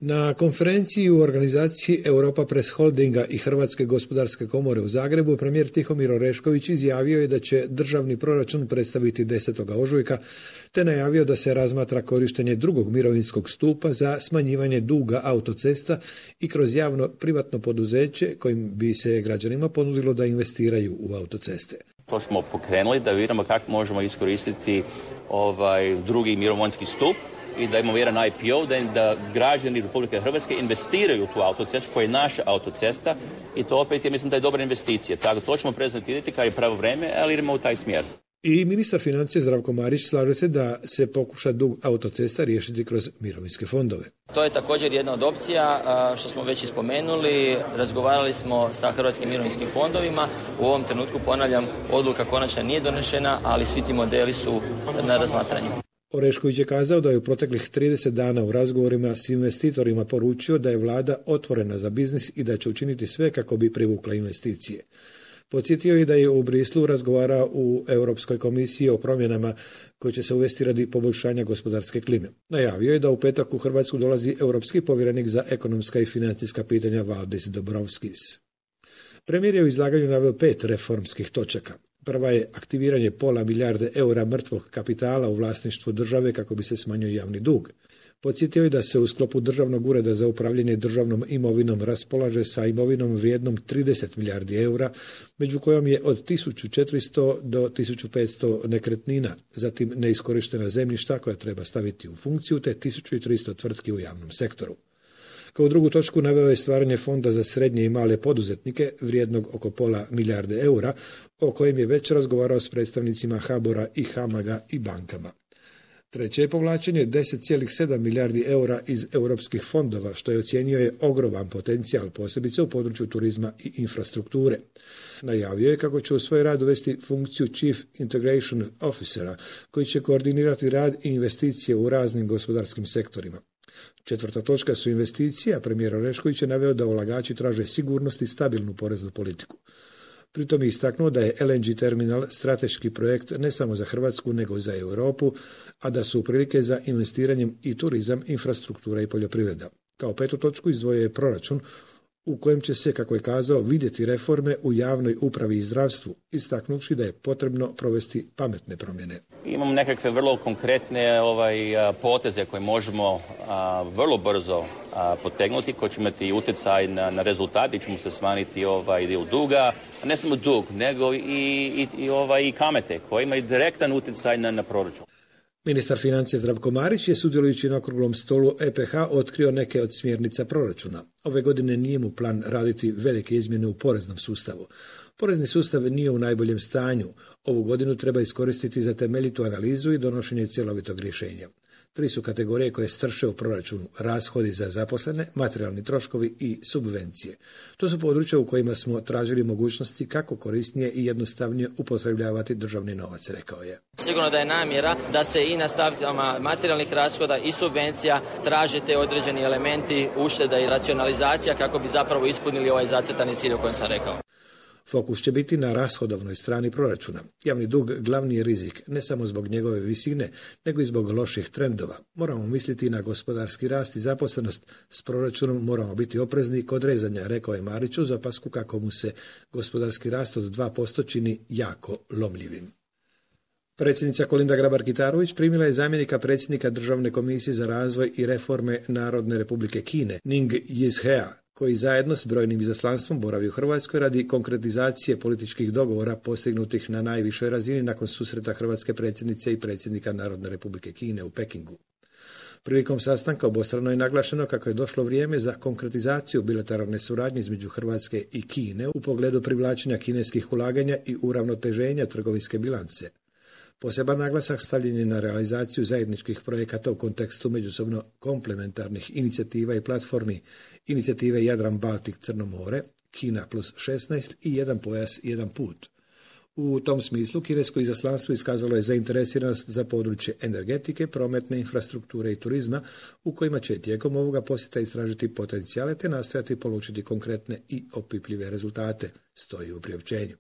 Na konferenciji u organizaciji Europa Press Holdinga i Hrvatske gospodarske komore u Zagrebu premijer Tihomir Orešković izjavio je da će državni proračun predstaviti 10. ožujka, te najavio da se razmatra korištenje drugog mirovinskog stupa za smanjivanje duga autocesta i kroz javno privatno poduzeće kojim bi se građanima ponudilo da investiraju u autoceste. To smo pokrenuli da vidimo kako možemo iskoristiti drugi mirovinski stup i da imamo jedan IPO, da građani Republike Hrvatske investiraju u tu autocestu koja je naša autocesta i to opet je, mislim da je dobra investicija. Tako to ćemo prezentirati kad je pravo vreme, ali idemo u taj smjer. I ministar financija Zdravko Marić slaže se da se pokuša dug autocesta riješiti kroz mirovinske fondove. To je također jedna od opcija što smo već ispomenuli. Razgovarali smo sa hrvatskim mirovinskim fondovima. U ovom trenutku, ponavljam, odluka konačna nije donešena, ali svi ti modeli su na razmatranju. Orešković je kazao da je u proteklih 30 dana u razgovorima s investitorima poručio da je vlada otvorena za biznis i da će učiniti sve kako bi privukla investicije. Podsjetio je da je u Brislu razgovarao u Europskoj komisiji o promjenama koje će se uvesti radi poboljšanja gospodarske klime. Najavio je da u petak u Hrvatsku dolazi europski povjerenik za ekonomska i financijska pitanja Valdis Dombrovskis. Premijer je u izlaganju naveo 5 reformskih točaka. Prva je aktiviranje £500 milijarde eura mrtvog kapitala u vlasništvu države kako bi se smanjio javni dug. Podsjetio je da se u sklopu Državnog ureda za upravljanje državnom imovinom raspolaže sa imovinom vrijednom 30 milijardi eura, među kojom je od 1400 do 1500 nekretnina, zatim neiskorištena zemljišta koja treba staviti u funkciju, te 1300 tvrtki u javnom sektoru. Kao drugu točku naveo je stvaranje fonda za srednje i male poduzetnike vrijednog oko £500 milijarde eura, o kojem je već razgovarao s predstavnicima HBOR-a i HAMAG-a i bankama. Treće je povlačenje 10,7 milijardi eura iz europskih fondova, što je ocijenio je ogroman potencijal, posebice u području turizma i infrastrukture. Najavio je kako će u svoj rad uvesti funkciju Chief Integration Officera, koji će koordinirati rad i investicije u raznim gospodarskim sektorima. Četvrta točka su investicije, a premijer Orešković je naveo da ulagači traže sigurnost i stabilnu poreznu politiku. Pritom je istaknuo da je LNG terminal strateški projekt ne samo za Hrvatsku nego i za Europu, a da su prilike za investiranjem i turizam, infrastruktura i poljoprivreda. Kao petu točku izdvojio je proračun u kojem će se, kako je kazao, vidjeti reforme u javnoj upravi i zdravstvu, istaknuvši da je potrebno provesti pametne promjene. Imamo nekakve vrlo konkretne poteze koje možemo vrlo brzo potegnuti, koji će imati utjecaj na rezultat i ćemo se smanjiti dio duga, a ne samo dug, nego i kamate koje imaju direktan utjecaj na proračun. Ministar financija Zdravko Marić je, sudjelujući na okruglom stolu EPH, otkrio neke od smjernica proračuna. Ove godine nije mu plan raditi velike izmjene u poreznom sustavu. Porezni sustav nije u najboljem stanju. Ovu godinu treba iskoristiti za temeljitu analizu i donošenje cjelovitog rješenja. 3 su kategorije koje strše u proračunu: rashodi za zaposlene, materijalni troškovi i subvencije. To su područja u kojima smo tražili mogućnosti kako korisnije i jednostavnije upotrebljavati državni novac, rekao je. Sigurno da je namjera da se i na stavkama materijalnih rashoda i subvencija traže te određeni elementi ušteda i racionalizacija kako bi zapravo ispunili ovaj zacrtani cilj o kojem sam rekao. Fokus će biti na rashodovnoj strani proračuna. Javni dug glavni je rizik, ne samo zbog njegove visine, nego i zbog loših trendova. Moramo misliti na gospodarski rast i zaposlenost. S proračunom moramo biti oprezni kod rezanja, rekao je Marić uz opasku kako mu se gospodarski rast od 2% čini jako lomljivim. Predsjednica Kolinda Grabar-Kitarović primila je zamjenika predsjednika Državne komisije za razvoj i reforme Narodne republike Kine, Ning Yizhea, koji zajedno s brojnim izaslanstvom boravi u Hrvatskoj radi konkretizacije političkih dogovora postignutih na najvišoj razini nakon susreta hrvatske predsjednice i predsjednika Narodne republike Kine u Pekingu. Prilikom sastanka obostrano je naglašeno kako je došlo vrijeme za konkretizaciju bilateralne suradnje između Hrvatske i Kine u pogledu privlačenja kineskih ulaganja i uravnoteženja trgovinske bilance. Poseban naglasak stavljen je na realizaciju zajedničkih projekata u kontekstu međusobno komplementarnih inicijativa i platformi, inicijative Jadran-Baltik-Crno more, Kina plus 16 i jedan pojas, jedan put. U tom smislu kinesko izaslanstvo iskazalo je zainteresiranost za područje energetike, prometne infrastrukture i turizma, u kojima će tijekom ovoga posjeta istražiti potencijale te nastojati polučiti konkretne i opipljive rezultate, stoji u priopćenju.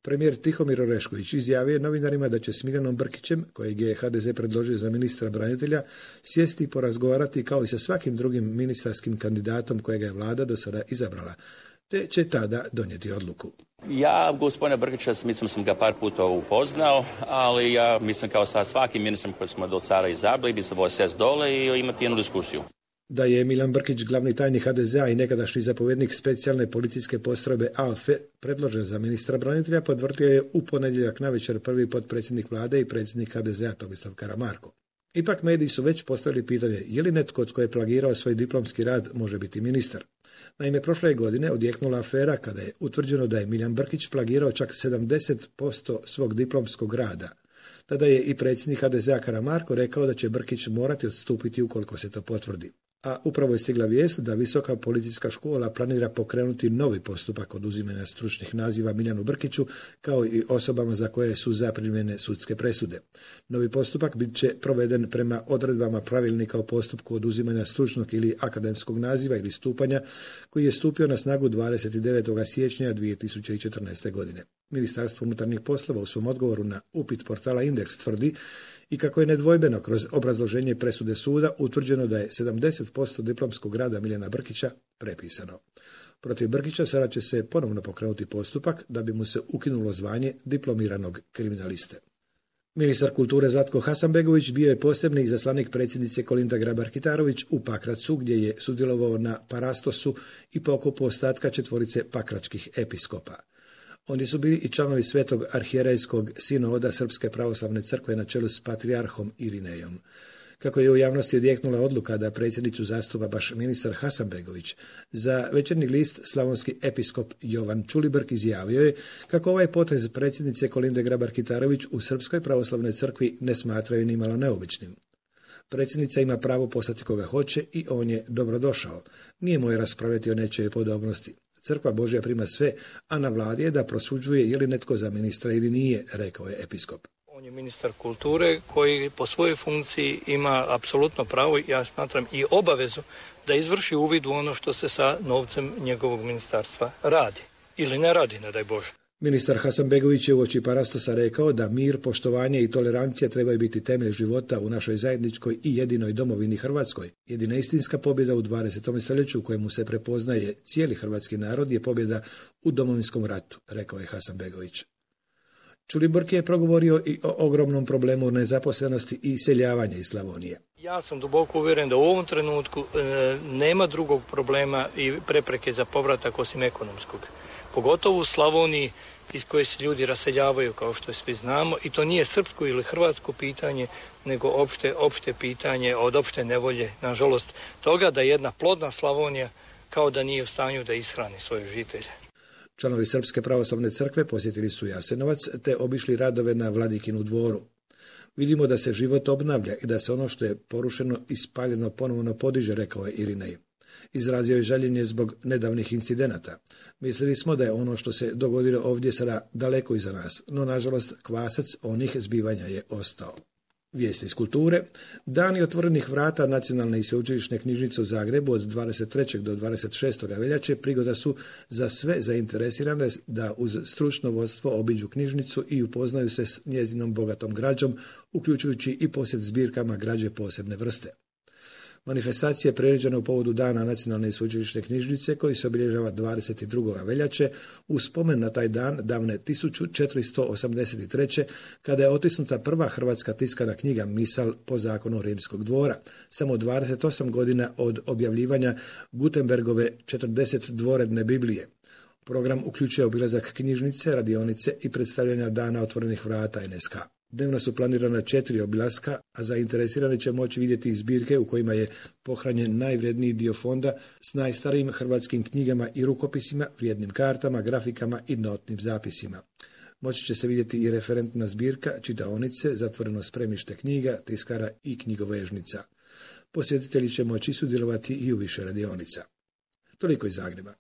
Premijer Tihomir Orešković izjavio je novinarima da će s Miljanom Brkićem, kojeg je HDZ predložio za ministra branitelja, sjesti i porazgovarati kao i sa svakim drugim ministarskim kandidatom kojega je vlada do sada izabrala, te će tada donijeti odluku. Ja, gospodina Brkića, mislim sam ga par puta upoznao, ali ja mislim kao sa svakim ministrom koji smo do sada izabrali, bi se sjest dole i imati jednu diskusiju. Da je Miljan Brkić, glavni tajnik HDZ-a i nekadašnji zapovjednik specijalne policijske postrojbe ALFE, predložen za ministra branitelja, potvrdio je u ponedjeljak navečer prvi potpredsjednik vlade i predsjednik HDZ-a Tomislav Karamarko. Ipak mediji su već postavili pitanje je li netko tko je plagirao svoj diplomski rad može biti ministar. Naime, prošle godine odjeknula afera kada je utvrđeno da je Miljan Brkić plagirao čak 70% svog diplomskog rada. Tada je i predsjednik HDZ-a Karamarko rekao da će Brkić morati odstupiti ukoliko se to potvrdi. A upravo je stigla vijest da Visoka policijska škola planira pokrenuti novi postupak oduzimanja stručnih naziva Miljanu Brkiću kao i osobama za koje su zaprimljene sudske presude. Novi postupak bit će proveden prema odredbama pravilnika o postupku oduzimanja stručnog ili akademskog naziva ili stupanja koji je stupio na snagu 29. siječnja 2014. godine. Ministarstvo unutarnjih poslova u svom odgovoru na upit portala Indeks tvrdi i kako je nedvojbeno kroz obrazloženje presude suda utvrđeno da je 70% diplomskog rada Miljana Brkića prepisano. Protiv Brkića sada će se ponovno pokrenuti postupak da bi mu se ukinulo zvanje diplomiranog kriminaliste. Ministar kulture Zlatko Hasanbegović bio je posebni izaslanik predsjednice Kolinde Grabar-Kitarović u Pakracu gdje je sudjelovao na parastosu i pokopu ostatka 4 pakračkih episkopa. Oni su bili i članovi Svetog arhijerejskog sinoda Srpske pravoslavne crkve na čelu s patrijarhom Irinejom. Kako je u javnosti odjeknula odluka da predsjednicu zastupa baš ministar Hasanbegović, za Večernji list slavonski episkop Jovan Čulibrk izjavio je kako ovaj potez predsjednice Kolinde Grabar-Kitarović u Srpskoj pravoslavnoj crkvi ne smatraju ni malo neobičnim. Predsjednica ima pravo poslati koga hoće i on je dobrodošao. Nije moje raspravljati o nečijoj podobnosti. Crkva Božja prima sve, a na vladi je da prosuđuje je li netko za ministra ili nije, rekao je episkop. On je ministar kulture koji po svojoj funkciji ima apsolutno pravo, ja smatram i obavezu, da izvrši uvid u ono što se sa novcem njegovog ministarstva radi. Ili ne radi, ne daj Bože. Ministar Hasanbegović je uoči parastosa rekao da mir, poštovanje i tolerancija trebaju biti temelj života u našoj zajedničkoj i jedinoj domovini Hrvatskoj. Jedina istinska pobjeda u 20. stoljeću u kojemu se prepoznaje cijeli hrvatski narod je pobjeda u Domovinskom ratu, rekao je Hasanbegović. Čulibrk je progovorio i o ogromnom problemu nezaposlenosti i iseljavanja iz Slavonije. Ja sam duboko uvjeren da u ovom trenutku nema drugog problema i prepreke za povratak osim ekonomskog. Pogotovo u Slavoniji iz koje se ljudi raseljavaju, kao što svi znamo, i to nije srpsko ili hrvatsko pitanje, nego opšte pitanje od opšte nevolje, nažalost, toga da jedna plodna Slavonija kao da nije u stanju da ishrani svoje žitelje. Članovi Srpske pravoslavne crkve posjetili su Jasenovac te obišli radove na Vladikinu dvoru. Vidimo da se život obnavlja i da se ono što je porušeno i spaljeno ponovno podiže, rekao je Irinej. Izrazio je žaljenje zbog nedavnih incidenata. Mislili smo da je ono što se dogodilo ovdje sada daleko iza nas, no nažalost kvasac onih zbivanja je ostao. Vijesti iz kulture. Dani otvorenih vrata Nacionalne i sveučilišne knjižnice u Zagrebu od 23. do 26. veljače prigoda su za sve zainteresirane da uz stručno vodstvo obiđu knjižnicu i upoznaju se s njezinom bogatom građom, uključujući i posjet zbirkama građe posebne vrste. Manifestacija je priređena u povodu Dana Nacionalne i sveučilišne knjižnice koji se obilježava 22. veljače u spomen na taj dan davne 1483. kada je otisnuta prva hrvatska tiskana knjiga Misal po zakonu Rimskog dvora, samo 28 godina od objavljivanja Gutenbergove 40 dvoredne Biblije. Program uključuje obilazak knjižnice, radionice i predstavljanja Dana otvorenih vrata NSK. Dnevno su planirana 4 obilaska, a zainteresirani će moći vidjeti zbirke u kojima je pohranjen najvredniji dio fonda s najstarijim hrvatskim knjigama i rukopisima, vrijednim kartama, grafikama i notnim zapisima. Moći će se vidjeti i referentna zbirka, čitaonice, zatvoreno spremište knjiga, tiskara i knjigovežnica. Posjetitelji će moći sudjelovati i u više radionica. Toliko iz Zagreba.